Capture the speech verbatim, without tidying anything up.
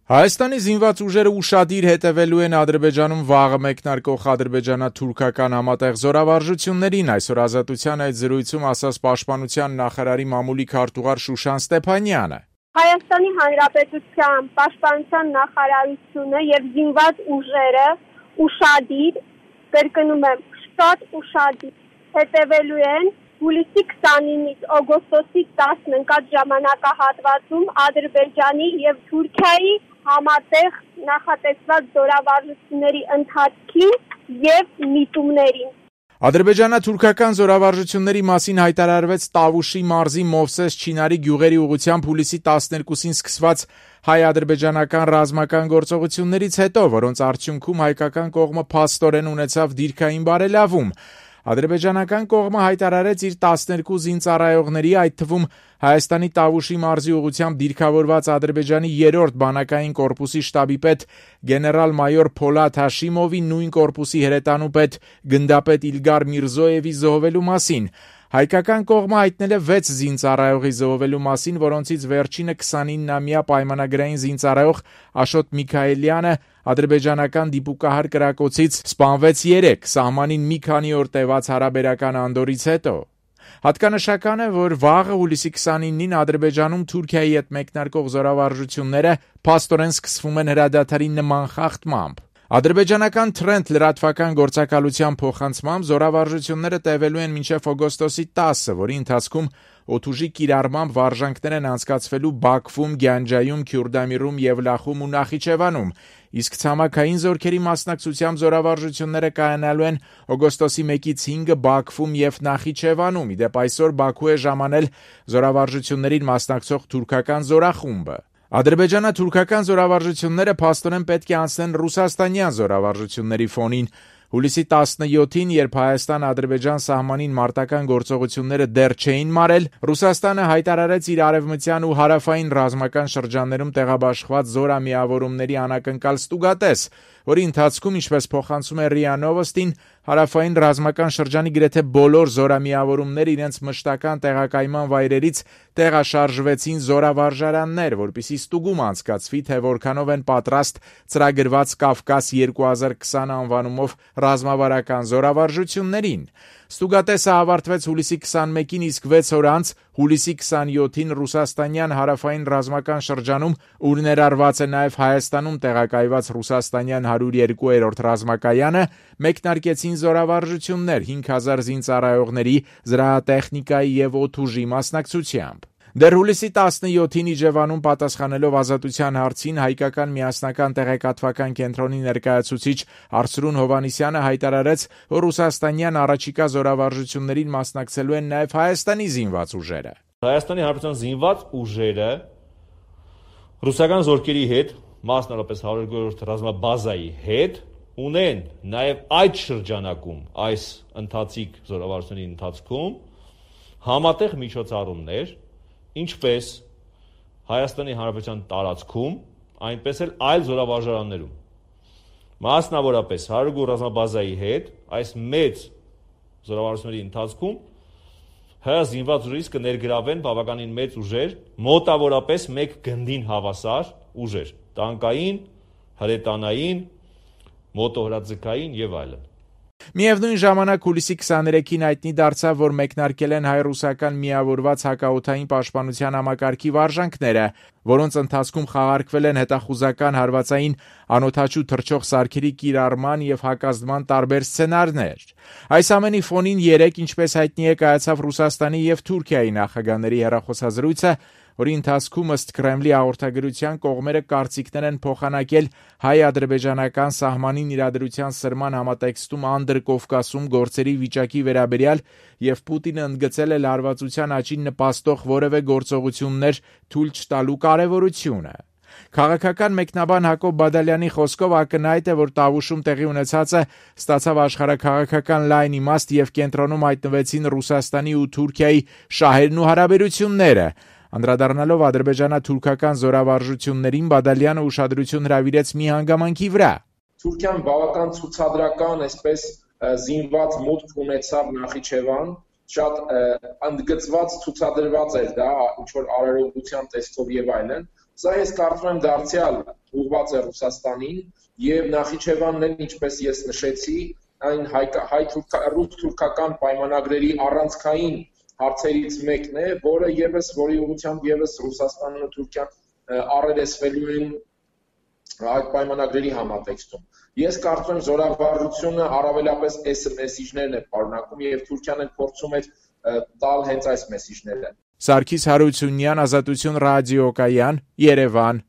Հայաստանի զինված ուժերը ուշադիր հետևելու են Ադրբեջանում վաղը մեկնարկող ադրբեջանա-թուրքական համատեղ զորավարժություններին, այսօր Ազատության այդ զրույցում ասաց Պաշտպանության նախարարի մամուլի քարտուղար Շուշան Ստեփանյանը. Հայաստանի Հանրապետության Պաշտպանության նախարարությունը եւ զինված ուժերը ուշադիր, կրկնում եմ, շատ ուշադիր հետևելու են հուլիսի քսանինից օգոստոսի տասն ընկած ժամանակահատվածում Ադրբեջանի եւ Թուրքիայի համատեղ նախատեսված զորավարժությունների ընթացքին եւ միտումներին։ Ադրբեջանա-թուրքական զորավարժությունների մասին հայտարարվեց Տավուշի մարզի Մովսես Չինարի գյուղերի ուղղությամբ հուլիսի տասներկուսին սկսված հայ-ադրբեջանական ռազմական գործողություններից հետո, որոնց արդյունքում հայկական կողմը փաստորեն ունեցավ դիրքային բարելավում։ Ադրբեջանական կողմը հայտարարեց իր տասներկու զինծառայողների, այդ թվում Հայաստանի Տավուշի մարզի ուղղությամբ դիրքավորված Ադրբեջանի երրորդ բանակային կորպուսի շտաբի պետ գեներալ-մայոր Փոլադ Հաշիմովի, նույն կորպուսի հրետանուպետ գնդապետ Իլգար Միրզոևի զոհվելու մասին։ Հայկական կողմը հայտնել է վեց զինծառայողի զոհվելու մասին, որոնցից վերջինը քսանինամյա պայմանագրային զինծառայող Աշոտ Միքայելյանը ադրբեջանական դիպուկահար կրակոցից սպանվեց երեկ, սահմանին մի քանի օր տևած հարաբերական անդորից հետո։ Հատկանշական է, որ վաղը հուլիսի քսանինին Ադրբեջանում Թուրքիայի հետ մեկնարկող զորավարժությունները փաստորեն սկսվում են հրադադարի նման խախտմամբ։ Ադրբեջանական Թրենթ լրատվական գործակալության փոխանցմամբ զորավարժությունները տևելու են մինչև օգոստոսի տասը, որի ընթացքում օդուժի կիրառմամբ վարժանքներ են անցկացվելու Բաքվում, Գյանջայում, Քյուրդամիրում, Եվլախում ու Նախիջևանում, իսկ ցամաքային զորքերի մասնակցությամբ զորավարժությունները կայանալու են օգոստոսի մեկից հինգը Բաքվում եւ Նախիջևանում։ Ի դեպ այսօր Բաքու է ժամանել զորավարժություններին մասնակցող թուրքական զորախումբը։ Ադրբեջանա-թուրքական զորավարժությունները փաստորեն պետք է անցնեն ռուսաստանյան զորավարժությունների ֆոնին։ Հուլիսի տասնյոթին, երբ Հայաստան-Ադրբեջան սահմանին մարտական գործողությունները դեռ չէին մարել, Ռուսաստանը հայտարարեց իր արևմտյան ու հարավային ռազմական շրջաններում տեղաբաշխված զորամիավորումների անակնկալ ստուգատես, որի ընթացքում, ինչպես փոխանցում է ՌԻԱ Նովոստին, հարավային ռազմական շրջանի գրեթե բոլոր զորամիավորումները իրենց մշտական տեղակայման վայրերից տեղաշարժվեցին զորավարժարաններ, որպեսզի ստուգում անցկացվի, թե որքանով են պատրաստ ծրագրված Կավկաս երկու հազար քսան անվանումով ռազմավարական զորավարժություններին։ Ստուգատեսը ավարտվեց հուլիսի քսանմեկին, իսկ վեց օր անց հուլիսի քսանյոթին ռուսաստանյան հարավային ռազմական շրջանում, ուր ներառված է նաև Հայաստանում տեղակայված ռուսաստանյան հարյուր երկու ռազմակայանը, մեկնարկեցին զորավարժություններ հինգ հազար զինծառայողների, զրահատեխնիկայի եւ օդուժի մասնակցությամբ։ Դեռ հուլիսի տասնյոթին Իջևանում պատասխանելով Ազատության հարցին հայկական միասնական տեղեկատվական կենտրոնի ներկայացուցիչ Արսրուն Հովանիսյանը հայտարարեց, որ ռուսաստանյան առաջիկա զորավարժություններին մասնակցելու են նաև Հայաստանի զինված ուժերը։ Հայաստանի Հանրապետության զինված ուժերը ռուսական զորքերի հետ, մասնավորապես հարյուրերորդ ռազմաբազայի հետ, ունեն նաև այդ շրջանակում, այս ընթացիկ զորավարժությունների ընթացքում համատեղ միջոցառումներ, ինչպես Հայաստանի Հանրապետության տարածքում, այնպես էլ այլ զորավարժարաններում։ Մասնավորապես հարյուրերորդ ռազմաբազայի հետ այս մեծ զորավարժությունների ընթացքում հայ զինված ուժերից կներգրավեն բավականին մեծ ուժեր, մոտավորապես մեկ գնդին հավասար ուժեր, տանկային, հրետանային, մոտոհրաձգային եւ այլն։ Միևնույն ժամանակ հուլիսի քսաներեքին հայտնի դարձավ, որ մեկնարկել են հայ-ռուսական միավորված հակաօդային պաշտպանության համակարգի վարժանքները, որոնց ընթացքում խաղարկվել են հետախուզական հարվածային անօդաչու թռչող սարքերի կիրառման եւ հակազդման տարբեր սցենարներ։ Այս ամենի ֆոնին երեկ, ինչպես հայտնի է, կայացավ Ռուսաստանի եւ Թուրքիայի նախագահների հեռախոսազրույցը, որի ընթացքում ըստ Կրեմլի հաղորդագրության կողմերը կարծիքներ են փոխանակել հայ-ադրբեջանական սահմանին իրադրության սրման համատեքստում Անդրկովկասում գործերի վիճակի վերաբերյալ եւ Պուտինը ընդգծել է լարվածության աճին նպաստող որևէ գործողություններ թույլ չտալու կարեւորությունը։ Քաղաքական մեկնաբան Հակոբ Բադալյանի խոսքով ակնհայտ է, որ Տավուշում տեղի ունեցածը ստացավ աշխարհաքաղաքական լայն իմաստ եւ կենտրոնում հայտնվեցին Ռուսաստանի ու Թուրքիայի շահերն ու հարաբերությունները։ Անդրադառնալով ադրբեջանա-թուրքական զորավարժություններին, Բադալյանը ուշադրություն հրավիրեց մի հանգամանքի վրա։ Թուրքիան բավական ցուցադրական, այսպես զինված մուտք ունեցավ Նախիջևան, շատ ընդգծված ցուցադրված էր դա ինչ որ արարողության տեսքով եւ այլն, Սա ես կարծում եմ դարձյալ ուղղված է Ռուսաստանին եւ Նախիջևանն էլ, ինչպես ես նշեցի, այն հայ-ռուս-թուրքական պայմանագրերի առանցքային հարցերից մեկն է, որը եւս որի ուղղությամբ եւս Ռուսաստանն ու Թուրքիան առերեսվելու են այդ պայմանագրերի համատեքստում։ Ես կարծում եմ զորավարժությունը առավելապես այս մեսիջներն է պարունակում եւ Թուրքիան էլ փորձում է տալ հենց այս մեսիջները։ Սարգիս Հարությունյան, Ազատություն ռադիոկայան, Երևան։